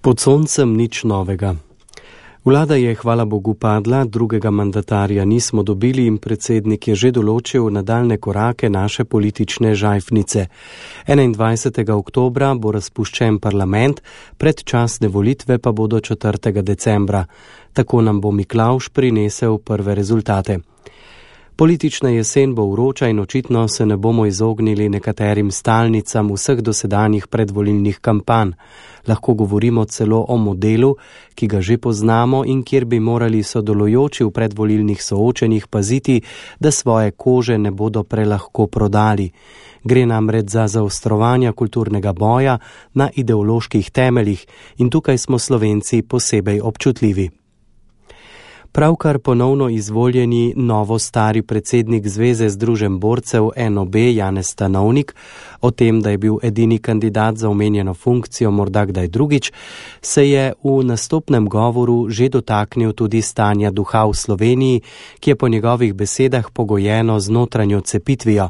Pod soncem nič novega. Vlada je, hvala Bogu, padla, drugega mandatarja nismo dobili in predsednik je že določil nadaljne korake naše politične žajfnice. 21. oktobra bo razpuščen parlament, predčasne volitve pa bodo 4. decembra. Tako nam bo Miklavž prinesel prve rezultate. Politična jesen bo vroča in očitno se ne bomo izognili nekaterim stalnicam vseh dosedanjih predvolilnih kampanj. Lahko govorimo celo o modelu, ki ga že poznamo in kjer bi morali sodelujoči v predvolilnih soočenjih paziti, da svoje kože ne bodo prelahko prodali. Gre namreč za zaostrovanja kulturnega boja na ideoloških temeljih in tukaj smo Slovenci posebej občutljivi. Pravkar ponovno izvoljeni novo-stari predsednik Zveze združenj borcev NOB Janez Stanovnik, o tem, da je bil edini kandidat za omenjeno funkcijo morda kdaj drugič, se je v nastopnem govoru že dotaknil tudi stanja duha v Sloveniji, ki je po njegovih besedah pogojeno z notranjo cepitvijo.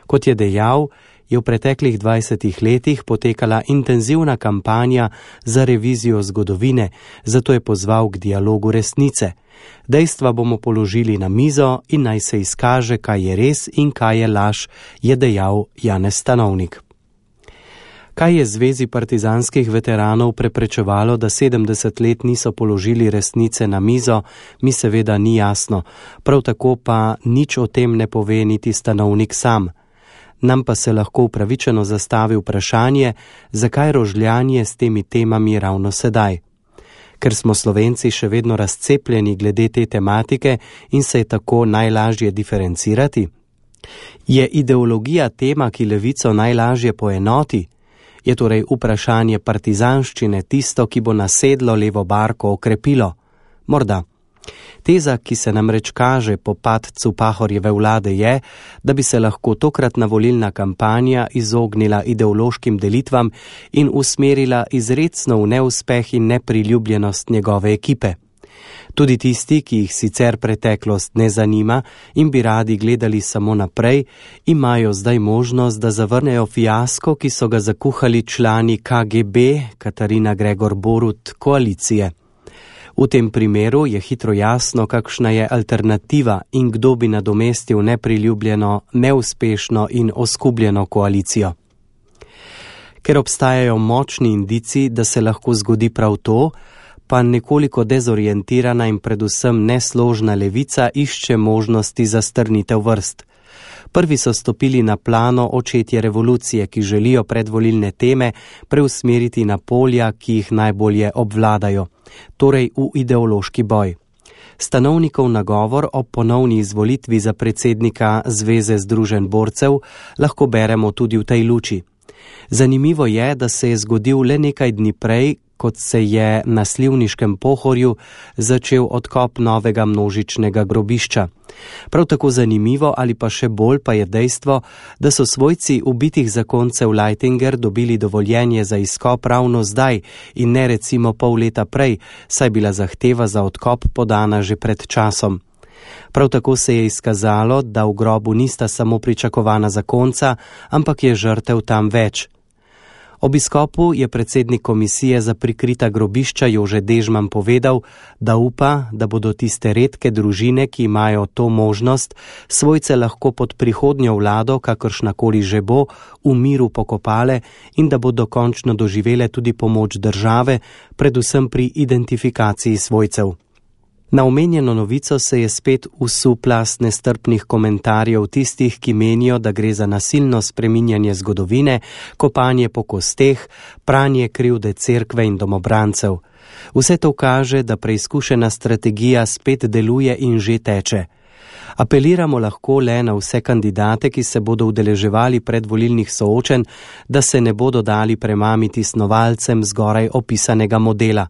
Kot je dejal, je v preteklih 20 letih potekala intenzivna kampanja za revizijo zgodovine, zato je pozval k dialogu resnice. Dejstva bomo položili na mizo in naj se izkaže, kaj je res in kaj je laž, je dejal Janez Stanovnik. Kaj je Zvezi partizanskih veteranov preprečevalo, da 70 let niso položili resnice na mizo, mi seveda ni jasno. Prav tako pa nič o tem ne pove niti Stanovnik sam. Nam pa se lahko upravičeno zastavi vprašanje, zakaj rožljanje s temi temami ravno sedaj. Ker smo Slovenci še vedno razcepljeni glede te tematike in se je tako najlažje diferencirati? Je ideologija tema, ki levico najlažje poenoti? Je torej vprašanje partizanščine tisto, ki bo nasedlo levo barko okrepilo? Morda. Teza, ki se namreč kaže po padcu Pahorjeve vlade je, da bi se lahko tokratna volilna kampanja izognila ideološkim delitvam in usmerila izrecno v neuspeh in nepriljubljenost njegove ekipe. Tudi tisti, ki jih sicer preteklost ne zanima in bi radi gledali samo naprej, imajo zdaj možnost, da zavrnejo fiasko, ki so ga zakuhali člani KGB, Katarina Gregor Borut, koalicije. V tem primeru je hitro jasno, kakšna je alternativa in kdo bi nadomestil nepriljubljeno, neuspešno in oskubljeno koalicijo. Ker obstajajo močni indici, da se lahko zgodi prav to, pa nekoliko dezorientirana in predvsem nesložna levica išče možnosti za strnitev vrst. Prvi so stopili na plano očetje revolucije, ki želijo predvolilne teme preusmeriti na polja, ki jih najbolje obvladajo, torej v ideološki boj. Stanovnikov nagovor o ponovni izvolitvi za predsednika Zveze združenj borcev lahko beremo tudi v tej luči. Zanimivo je, da se je zgodil le nekaj dni prej, kot se je na Slivniškem Pohorju začel odkop novega množičnega grobišča. Prav tako zanimivo ali pa še bolj pa je dejstvo, da so svojci ubitih zakoncev Leitinger dobili dovoljenje za izkop ravno zdaj in ne recimo pol leta prej, saj bila zahteva za odkop podana že pred časom. Prav tako se je izkazalo, da v grobu nista samo pričakovana zakonca, ampak je žrtev tam več. Ob izkopu je predsednik komisije za prikrita grobišča Jože Dežman povedal, da upa, da bodo tiste redke družine, ki imajo to možnost, svojce lahko pod prihodnjo vlado, kakršnakoli že bo, v miru pokopale in da bodo končno doživele tudi pomoč države, predvsem pri identifikaciji svojcev. Na omenjeno novico se je spet vsul plast nestrpnih komentarjev tistih, ki menijo, da gre za nasilno spreminjanje zgodovine, kopanje po kosteh, pranje krivde cerkve in domobrancev. Vse to kaže, da preizkušena strategija spet deluje in že teče. Apeliramo lahko le na vse kandidate, ki se bodo udeleževali predvolilnih soočenj, da se ne bodo dali premamiti snovalcem zgoraj opisanega modela.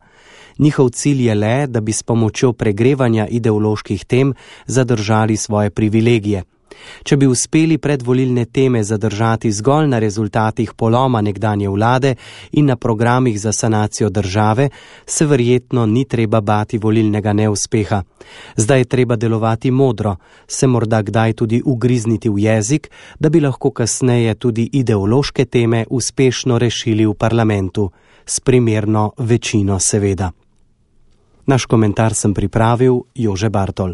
Njihov cilj je le, da bi s pomočjo pregrevanja ideoloških tem zadržali svoje privilegije. Če bi uspeli predvolilne teme zadržati zgolj na rezultatih poloma nekdanje vlade in na programih za sanacijo države, se verjetno ni treba bati volilnega neuspeha. Zdaj je treba delovati modro, se morda kdaj tudi ugrizniti v jezik, da bi lahko kasneje tudi ideološke teme uspešno rešili v parlamentu. s primerno večino seveda. Naš komentar sem pripravil Jože Bartol.